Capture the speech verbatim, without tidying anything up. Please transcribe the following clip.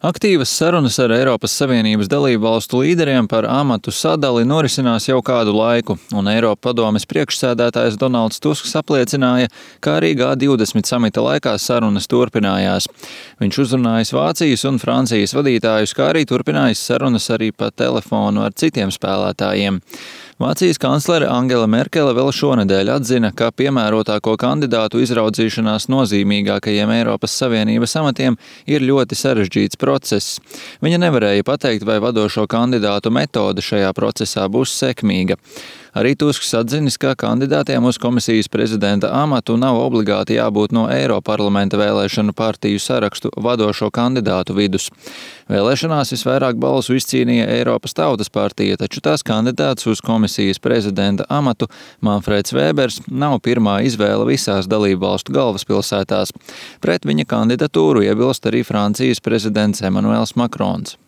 Aktīvas sarunas ar Eiropas Savienības dalību valstu līderiem par amatu sadali norisinās jau kādu laiku, un Eiropa padomes priekšsēdētājs Donalds Tusks apliecināja, ka arī G divdesmit samita laikā sarunas turpinājās. Viņš uzrunājis Vācijas un Francijas vadītājus, kā arī turpinājis sarunas arī pa telefonu ar citiem spēlētājiem. Vācijas kanclere Angela Merkele vēl šonedēļ atzina, ka piemērotāko kandidātu izraudzīšanās nozīmīgākajiem Eiropas Savienības amatiem ir ļoti sarežģīts process. Viņa nevarēja pateikt, vai vadošo kandidātu metode šajā procesā būs sekmīga. Arī Tusks atzinis, ka kandidātiem uz komisijas prezidenta amatu nav obligāti jābūt no Eiroparlamenta vēlēšanu partiju sarakstu vadošo kandidātu vidus. Vēlēšanās visvairāk balsu izcīnīja Eiropas Tautas partija, taču tās kandidāts uz komisijas prezidenta amatu Manfreds Vēbers nav pirmā izvēle visās dalību valstu galvaspilsētās. Pret viņa kandidatūru iebilst arī Francijas prezidents Emmanuels Macrons.